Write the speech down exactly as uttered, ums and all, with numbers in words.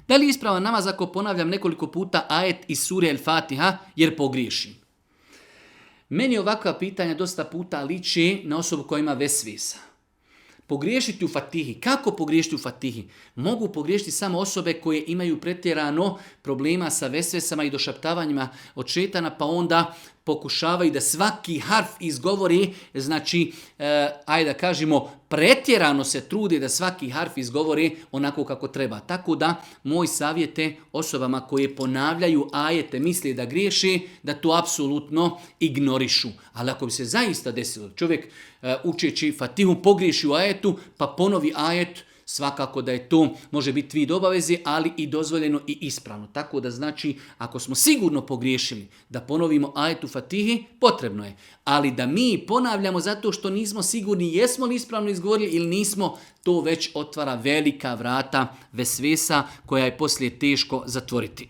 Da li je ispravan namaz ako ponavljam nekoliko puta ajet iz sure El Fatiha jer pogriješim? Meni ovakva pitanja dosta puta liči na osobu koja ima vesvesa. Pogriješiti u Fatihi. Kako pogriješiti u Fatihi? Mogu pogriješiti samo osobe koje imaju pretjerano problema sa vesvesama i došaptavanjima od šetana, pa onda pokušavaju da svaki harf izgovori, znači, e, ajde da kažemo, pretjerano se trudi da svaki harf izgovori onako kako treba. Tako da, moj savjet je osobama koje ponavljaju ajete, misle da griješi, da to apsolutno ignorišu. Ali ako bi se zaista desilo, čovjek e, učeći Fatihu pogriješi u ajetu, pa ponovi ajet, svakako da je to, može biti vid obavezi, ali i dozvoljeno i ispravno. Tako da znači, ako smo sigurno pogriješili da ponovimo ajet u Fatihi, potrebno je. Ali da mi ponavljamo zato što nismo sigurni jesmo li ispravno izgovorili ili nismo, to već otvara velika vrata vesvesa koja je poslije teško zatvoriti.